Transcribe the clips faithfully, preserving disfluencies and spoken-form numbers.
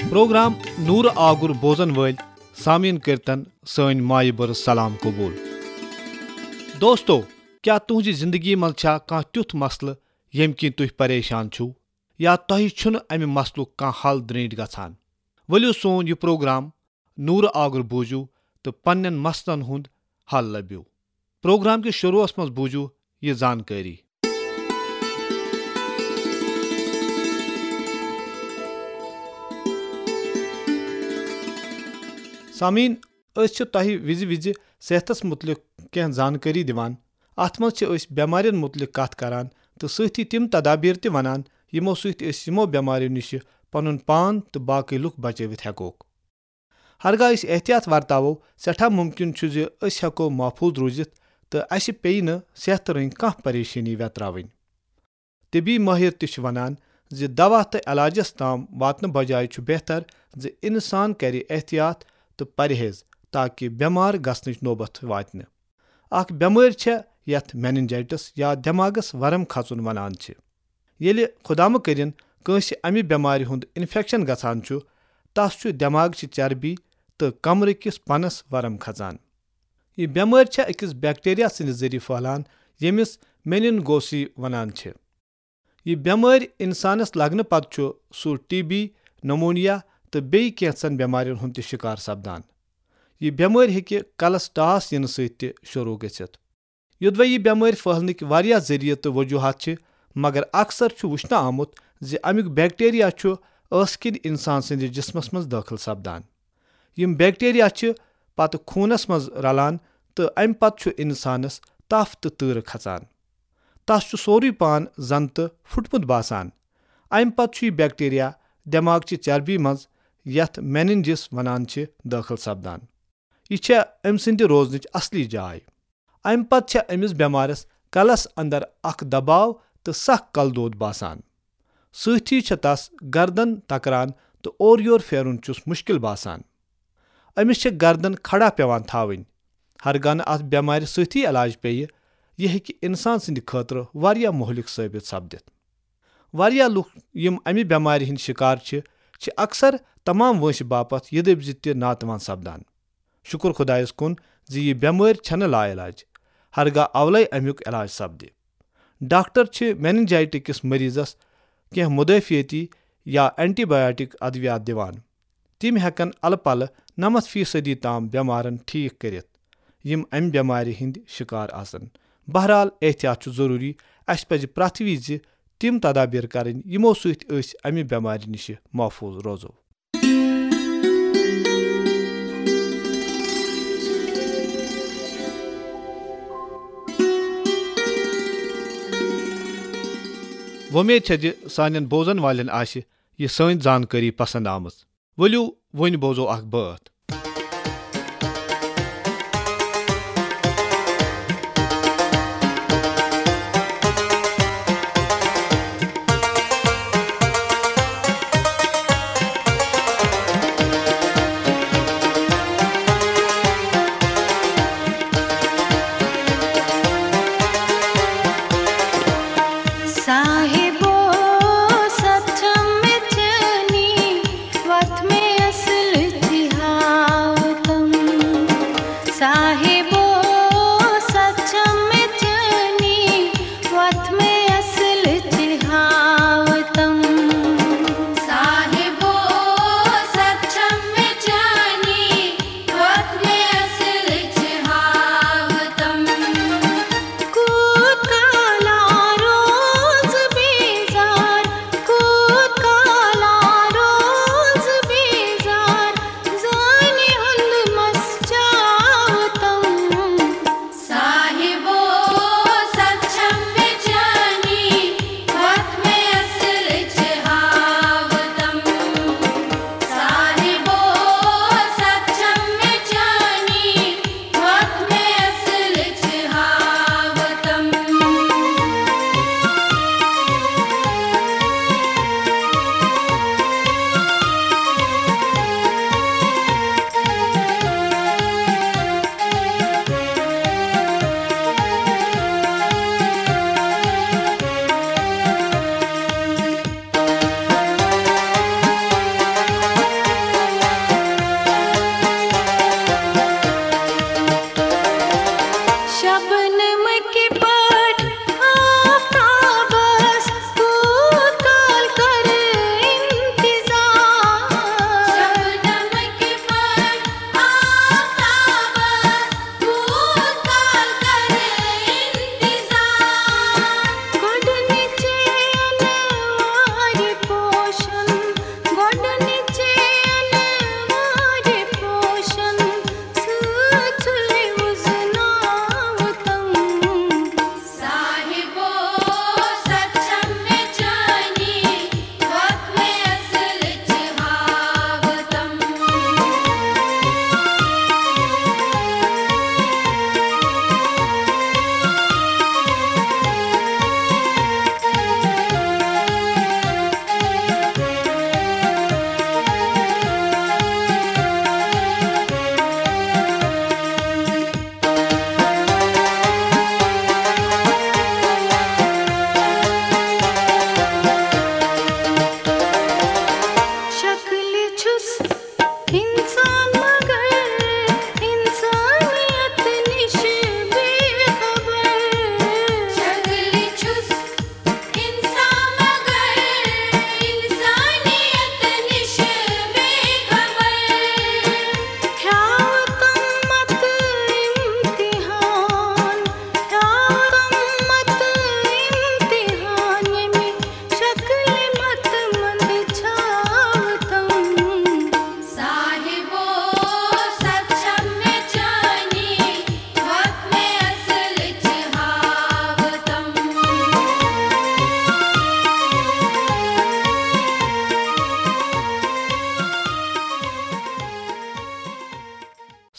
Programme نورٕ آگُر بوزن وٲلۍ سامعیٖن کٔرتن سٲنۍ مایہِ بٔرٕژ سلام قبول۔ دوستو، کیٛاہ تُہنٛزِ زندگی منٛز چھا کانٛہہ تیُتھ مسلہٕ ییٚمہِ کِنۍ تُہۍ پریشان چھِو، یا تۄہہِ چھُنہٕ امہِ مسلُک کانٛہہ حل درینٹھ گژھان؟ ؤلِو سون یہِ پروگرام نورٕ آگُر بوٗزِو تہٕ پننٮ۪ن مسلن ہُنٛد حل لٔبِو۔ پروگرام کِس شروعس منٛز بوٗزِو یہِ زانکٲری۔ سامعیٖن، أسۍ چھِ تۄہہِ وِزِ وِزِ صحتس مُتعلق کینٛہہ زانکٲری دِوان۔ اتھ منٛز چھِ أسۍ بٮ۪مارٮ۪ن مُتعلق کتھ کران تہٕ سۭتی تِم تدابیر تہِ ونان، یِمو سۭتۍ أسۍ یِمو بٮ۪مارٮ۪و نِشہِ پنُن پان تہٕ باقٕے لُکھ بچٲوِتھ ہٮ۪کوکھ۔ ہرگاہ أسۍ احتیاط ورتاوو، سٮ۪ٹھاہ مُمکِن چھُ زِ أسۍ ہٮ۪کو محفوٗظ روٗزِتھ تہٕ اسہِ پیٚیہِ نہٕ صحتہٕ رٔنٛگۍ کانٛہہ پریشٲنی وٮ۪تراوٕنۍ۔ طبی مٲہِر تہِ چھِ ونان زِ دوا تہٕ علاجس تام واتنہٕ بجایہِ چھُ بہتر زِ انسان کرِ احتیاط تہٕ پرہیز، تاکہ بٮ۪مار گژھنٕچ نوبت واتہِ نہٕ۔ اکھ بٮ۪مٲرۍ چھےٚ یتھ میننجائٹس یا دٮ۪ماغس ورم کھژُن ونان چھِ۔ ییٚلہِ خۄدا مہ کٔرِن کٲنٛسہِ امہِ بٮ۪مارِ ہُنٛد انفیکشن گژھان چھُ، تس چھُ دٮ۪ماغچہِ چربی تہٕ کمرٕ کِس پنس ورم کھژان۔ یہِ بٮ۪مٲرۍ چھےٚ أکِس بیکٹیریا سٕنٛدِ ذٔریعہٕ پھٔہلان، ییٚمِس میننگوسی ونان چھِ۔ یہِ بٮ۪مٲرۍ انسانس لگنہٕ پتہٕ چھُ سُہ ٹی بی، نمونیا تہٕ بیٚیہِ کینٛژن بٮ۪مارٮ۪ن ہُنٛد تہِ شکار سپدان۔ یہِ بٮ۪مٲرۍ ہیٚکہِ کلس ٹاس یِنہٕ سۭتۍ تہِ شروع گٔژھِتھ۔ یوٚدوے یہِ بٮ۪مٲرۍ پھٔہلنٕکۍ واریاہ ذٔریعہٕ تہٕ وجوہات چھِ، مگر اکثر چھُ وٕچھنہٕ آمُت زِ امیُک بیکٹیریا چھُ ٲسہٕ کِنۍ انسان سٕنٛدِس جسمس منٛز دٲخل سپدان۔ یِم بیکٹیریا چھِ پتہٕ خوٗنس منٛز رلان تہٕ امہِ پتہٕ چھُ انسانس تپھ تہٕ تۭرٕ کھژان۔ تس چھُ سورُے پان زنتہٕ پھُٹمُت باسان۔ امہِ پتہٕ چھُ یہِ بیکٹیریا دٮ۪ماغچہِ چربی منٛز، یتھ میننجس ونان چھِ، دٲخل سپدان۔ یہِ چھےٚ أمۍ سٕنٛدِ روزنٕچ اصلی جاے۔ امہِ پتہٕ چھےٚ أمِس بٮ۪مارس کلس اندر اکھ دباو تہٕ سخ کلہٕ دود باسان۔ سۭتھی چھےٚ تس گردن تکران تہٕ اورٕ یور پھیرُن چھُس مشکل باسان۔ أمِس چھےٚ گردن کھڑا پٮ۪وان تھاوٕنۍ۔ ہرگاہ نہٕ اتھ بٮ۪مارِ سۭتھی علاج پیٚیہِ، یہِ ہیٚکہِ انسان سٕنٛدِ خٲطرٕ واریاہ مہلک ثٲبت سپدِتھ۔ واریاہ لوٗکھ یِم امہِ بٮ۪مارِ ہٕنٛدۍ شکار چھِ، چھِ اکثر تمام وٲنٛسہِ باپتھ یہِ دٔپۍ زِ تہِ ناتوان سپدان۔ شُکر خۄدایس کُن زِ یہِ بٮ۪مٲرۍ چھنہٕ لاعلاج، ہرگاہ اولے امیُک علاج سپدِ۔ ڈاکٹر چھِ میننجائٹس کِس مریضس کینٛہہ مدافعتی یا اینٹی بایوٹک ادویات دِوان۔ تِم ہٮ۪کن الہٕ پلہٕ نَمَتھ فیصدی تام بٮ۪مارن ٹھیک کٔرِتھ، یِم امہِ بٮ۪مارِ ہٕنٛدۍ شکار آسن۔ بہرحال، احتیاط چھُ ضروٗری۔ اسہِ پزِ پرٛٮ۪تھ وِزِ تِم تدابیر کرٕنۍ، یِمو سۭتۍ أسۍ امہِ بٮ۪مارِ نِش محفوٗظ روزو۔ وۄمید چھےٚ زِ سانٮ۪ن بوزن والٮ۪ن آسہِ یہِ سٲنۍ زانکٲری پسند آمٕژ۔ ؤلِو، وۄنۍ بوزو اکھ بٲتھ۔ صاحبو، سچم میں چنی وقت میں اصل تھا۔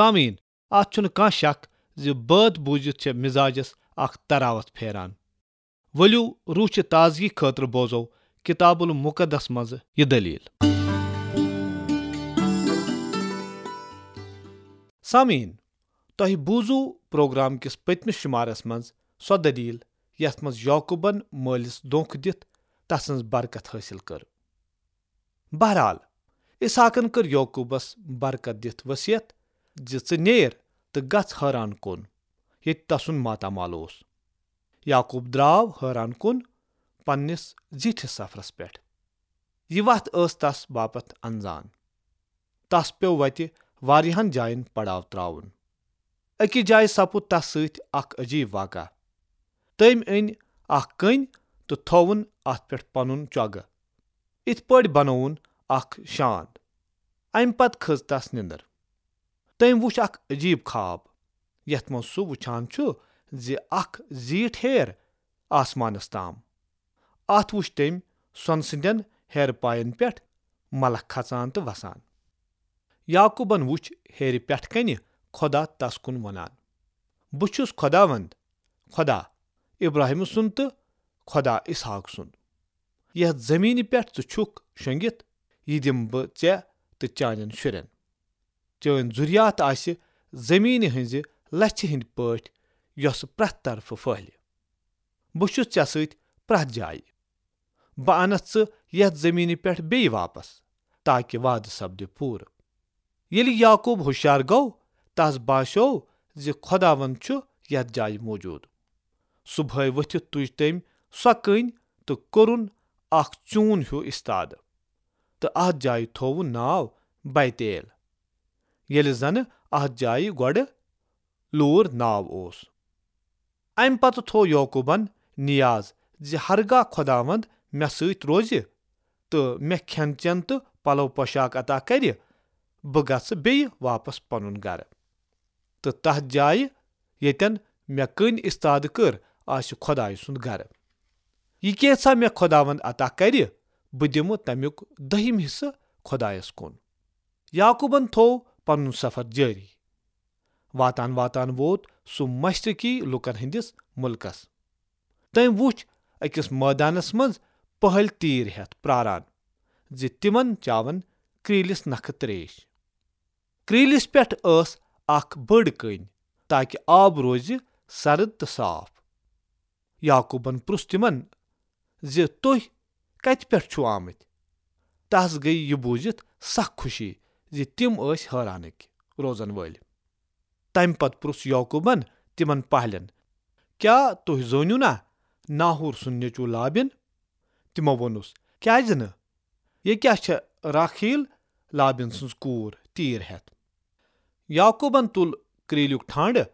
سامعین، اتھ چھُنہٕ کانٛہہ شک زِ بٲتھ بوٗزِتھ چھےٚ مزاجس اکھ تراوت پھیران۔ ؤلِو، روح چہِ تازگی خٲطرٕ بوزو کتاب المقدس منٛز یہِ دٔلیٖل۔ سامعین، تۄہہِ بوٗزوٕ پروگرام کِس پٔتمِس شُمارس منٛز سۄ دٔلیٖل، یتھ منٛز یعقوبن مٲلِس دھوکہٕ دِتھ تسٕنٛز برکت حٲصِل کٔر۔ بہرحال، اسحاقن کٔر یعقوبس برکت دِتھ وصیت زِ، "ژٕ نیر تہٕ گژھ حٲران کُن، ییٚتہِ تسُنٛد ماتامال اوس۔" یعقوب درٛاو حٲران کُن پننِس زیٖٹھِس سفرس پٮ۪ٹھ۔ یہِ وتھ ٲس تس باپتھ انزان۔ تس پیوٚو وتہِ واریاہن جاین پڑاو تراوُن۔ أکِس جایہِ سپُد تس سۭتۍ اکھ عجیب واقعہ۔ تٔمۍ أنۍ اکھ کٔنۍ تہٕ تھووُن اتھ پٮ۪ٹھ پنُن چۄگہٕ۔ اِتھ پٲٹھۍ بنووُن اکھ شاند۔ امہِ پتہٕ کھٔژ تس نِندٕر۔ تٔمۍ وُچھ اکھ عجیب خواب، یتھ منٛز سُہ وُچھان چھُ زِ اکھ زیٖٹھ ہیر آسمانس تام۔ اتھ وُچھ تٔمۍ سۄنہٕ سٕنٛدٮ۪ن ہیرٕ پاین پٮ۪ٹھ ملکھ کھژان تہٕ وسان۔ یعقوبن وُچھ ہیرِ پٮ۪ٹھ کنہِ خۄدا تس کُن ونان، "بہٕ چھُس خۄداوند، خۄدا ابراہیم سُنٛد تہٕ خۄدا اسحاق سُنٛد۔ یتھ زمینہِ پٮ۪ٹھ ژٕ چھُکھ شۄنگِتھ، یہِ دِمہٕ بہٕ ژےٚ تہٕ چانٮ۪ن شُرٮ۪ن۔ چٲنۍ ذُریات آسہِ زمینہِ ہٕنٛزِ لژھِ ہٕنٛدۍ پٲٹھۍ، یۄسہٕ پرٛٮ۪تھ طرفہٕ پھٔہلہِ۔ بہٕ چھُس ژےٚ سۭتۍ پرٛٮ۪تھ جایہِ۔ بہٕ انتھ ژٕ یتھ زمینہِ پٮ۪ٹھ بیٚیہِ واپس، تاکہ وعدٕ سپدِ پوٗرٕ۔" ییٚلہِ یعقوب ہُشیار گوٚو، تس باسیوو زِ خۄداوند چھُ یتھ جایہِ موجود۔ صبحٲے ؤتھِتھ تُج تٔمۍ سۄ کٔنۍ تہٕ کوٚرُن اکھ چوٗن ہیوٗ استادٕ، تہٕ اتھ جایہِ تھووُن ناو بیتیل، ییٚلہِ زنہٕ اتھ جایہِ گۄڈٕ لوٗر ناو اوس۔ امہِ پتہٕ تھوو یعقوبن نیاز زِ ہرگاہ خۄداوند مےٚ سۭتۍ روزِ تہٕ مےٚ کھٮ۪ن چٮ۪ن تہٕ پلو پوشاک عطا کرِ، بہٕ گژھٕ بیٚیہِ واپس پنُن گرٕ تہٕ تتھ جایہِ، ییٚتٮ۪ن مےٚ کٔنۍ استادٕ کٔر، آسہِ خۄدایہِ سُنٛد گرٕ۔ یہِ کینٛژھا مےٚ خۄداوند عطا کرِ، بہٕ دِمہٕ تمیُک دٔہِم حصہٕ خۄدایس کُن۔ یعقوبن تھوو پنُن سفر جٲری۔ واتان واتان ووت سُہ مشرقی لوٗکن ہٕنٛدِس مُلکس۔ تٔمۍ وُچھ أکِس مٲدانس منٛز پٔہلۍ تیٖر ہٮ۪تھ پراران زِ تِمن چاون کرٛیٖلِس نکھٕ تریش۔ کرٛیٖلِس پٮ۪ٹھ ٲس اکھ بٔڑ کٔنۍ، تاکہ آب روزِ سرد تہٕ صاف۔ یعقوبن پرُژھ تِمن زِ، "تُہۍ کتہِ پٮ۪ٹھ چھِو آمٕتۍ؟" تس گٔیۍ یہِ بوٗزِتھ سخ خوشی زِ تِم ٲسۍ حٲرانٕکۍ روزن وٲلۍ۔ تمہِ پتہٕ پرُژھ یعقوبن تِمن پہلٮ۪ن، "کیٛاہ تُہۍ زٲنِو نا ناحور سُنٛد نیٚچوٗ لابن؟" تِمو ووٚنُس، "کیٛازِ نہٕ؟ یہِ کیٛاہ چھےٚ راکھیٖل لابن سٕنٛز کوٗر تیٖر ہٮ۪تھ؟" یعقوبن تُل کرٛیٖلیُک ٹھانٛڈٕ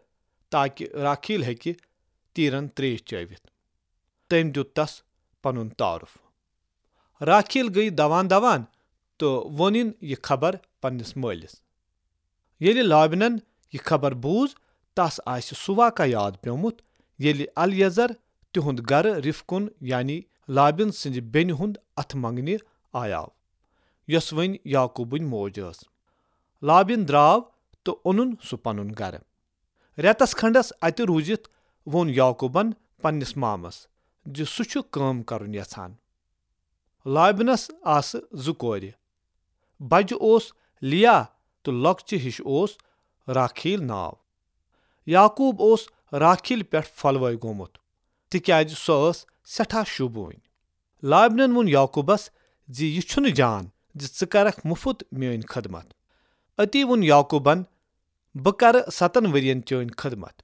تاکہ راکھیٖل ہیٚکہِ تیٖرن تریش چٲوِتھ۔ تٔمۍ دیُت تس پنُن تعارُف۔ راکھیٖل گٔیہِ دوان دوان تہٕ ووٚنُن یہِ خبر پننِس مٲلِس۔ ییٚلہِ لابنن یہِ خبر بوٗز، تس آسہِ سُہ واقعہ یاد پیومُت، ییٚلہِ الیعزر تِہُنٛد گرٕ رفقُن، یعنی لابن سٕنٛزِ بیٚنہِ ہُنٛد اتھٕ منٛگنہِ آیاو، یۄس وۄنۍ یعقوبٕنۍ موج ٲس۔ لابن درٛاو تہٕ اوٚنُن سُہ پنُن گرٕ۔ رٮ۪تس کھنڈس اتہِ روٗزِتھ ووٚن یعقوبن پننِس مامس زِ سُہ چھُ کٲم کرُن یژھان۔ لابنس آسہٕ زٕ کورِ۔ بجہِ اوس لیا تہٕ لۄکچہِ ہِش اوس راکھیل ناو۔ یعقوب اوس راکھیل پٮ۪ٹھ پھۄلوے گوٚمُت، تِکیازِ سۄ ٲس سٮ۪ٹھاہ شوٗبوٕنۍ۔ لابنن ووٚن یعقوبس زِ یہِ چھُنہٕ جان زِ ژٕ کرکھ مُفت میٲنۍ خدمت۔ أتی ووٚن یعقوبن، "بہٕ کرٕ ستن ؤرین چٲنۍ خدمت،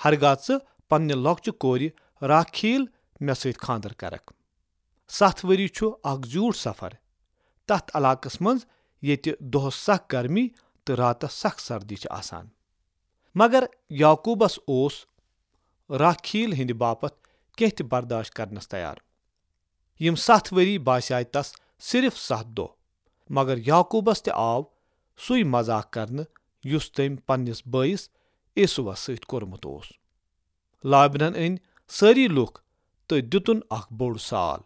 ہرگاہ ژٕ پننہِ لۄکچہِ کورِ راکھیل مےٚ سۭتۍ خاندر کرکھ۔" ستھ ؤری چھُ اکھ زیوٗٹھ سفر تتھ علاقس منٛز ییٚتہِ دۄہس سخ گرمی تہٕ راتس سخ سردی چھِ آسان۔ مگر یعقوبس اوس راکھیل ہٕنٛدِ باپتھ کینٛہہ تہِ برداشت کرنس تیار۔ یِم ستھ ؤری باسیٛاے تس صرف ستھ دۄہ، مگر یعقوبس تہِ آو سُے مذاق کرنہٕ یُس تٔمۍ پننِس بٲیِس عیسوس سۭتۍ کوٚرمُت اوس۔ لابنن أنۍ سٲری لوٗکھ تہٕ دِتُن اکھ بوٚڑ سال۔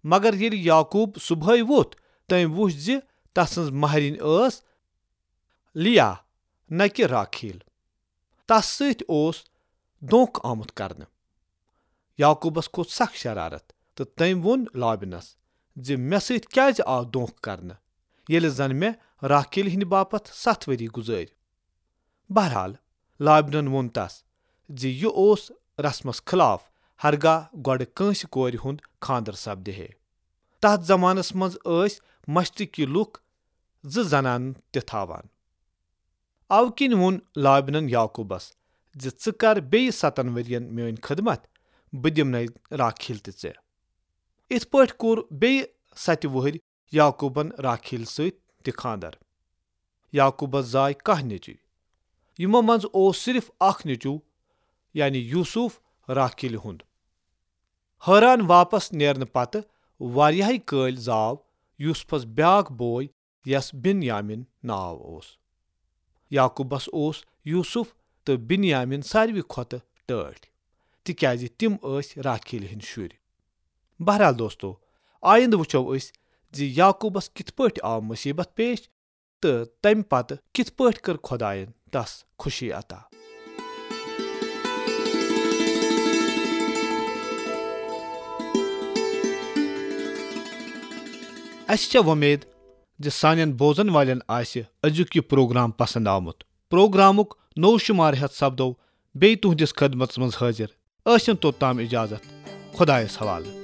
مگر ییٚلہِ یعقوب صبحٲے ووٚتھ، تٔمۍ وُچھ زِ تسٕنٛز مہرِنۍ ٲس لیا، نہ کہ راکھیل۔ تس سۭتۍ اوس دھوکہ آمُت کرنہٕ۔ یعقوبس کھوٚت سخ شرارت تہٕ تٔمۍ ووٚن لابنس زِ مےٚ سۭتۍ کیازِ آو دھوکہ کرنہٕ، ییٚلہِ زن مےٚ راکھیل ہٕنٛدِ باپتھ ستھ ؤری گُزٲرۍ؟ بہرحال، لابنن ووٚن تس زِ یہِ اوس رسمس خلاف، ہرگاہ گۄڈٕ کٲنٛسہِ کورِ ہُنٛد خانٛدر سپدِ ہے۔ تتھ زمانس منٛز ٲسۍ مشرقی لوٗکھ زٕ زنانہٕ تہِ تھاوان۔ اوٕ کِنۍ ووٚن لابنن یعقوبس زِ ژٕ کر بیٚیہِ ستن ؤرین میٲنۍ خدمت، بہٕ دِمنے راکھیل تہِ ژےٚ۔ یِتھ پٲٹھۍ کوٚر بیٚیہِ ستہِ وُہٕرۍ یعقوبن راکھیل سۭتۍ تہِ خانٛدر۔ یعقوبس زاے کاہ نیٚچوۍ۔ یِمو منٛز اوس صرف اکھ نیٚچو، یعنی یوسف، راکھیلہِ ہُنٛد۔ حٲران واپس نیرنہٕ پتہٕ واریاہے کٲلۍ زاو یوسفس بیاکھ بوے، یس بن یامین ناو اوس۔ یعقوبس اوس یوسف تہٕ بن یامین ساروی کھۄتہٕ ٹٲٹھۍ، تِکیازِ تِم ٲسۍ راکھیلہِ ہٕنٛدۍ شُرۍ۔ بہرحال دوستو، آیندٕ وٕچھو أسۍ زِ یعقوبس کِتھ پٲٹھۍ آو مُصیبت پیش تہٕ تمہِ پتہٕ کِتھ پٲٹھۍ کٔر خۄداین تس خوشی عطا۔ اسہِ چھےٚ وۄمید زِ سانٮ۪ن بوزن والٮ۪ن آسہِ أزیُک یہِ پروگرام پسند آمُت۔ پروگرامُک نوٚو شمارٕ ہٮ۪تھ سپدو بیٚیہِ تُہنٛدِس خدمتس منٛز حٲضِر۔ ٲسِن توٚتام اجازت۔ خۄدایس حوالہٕ۔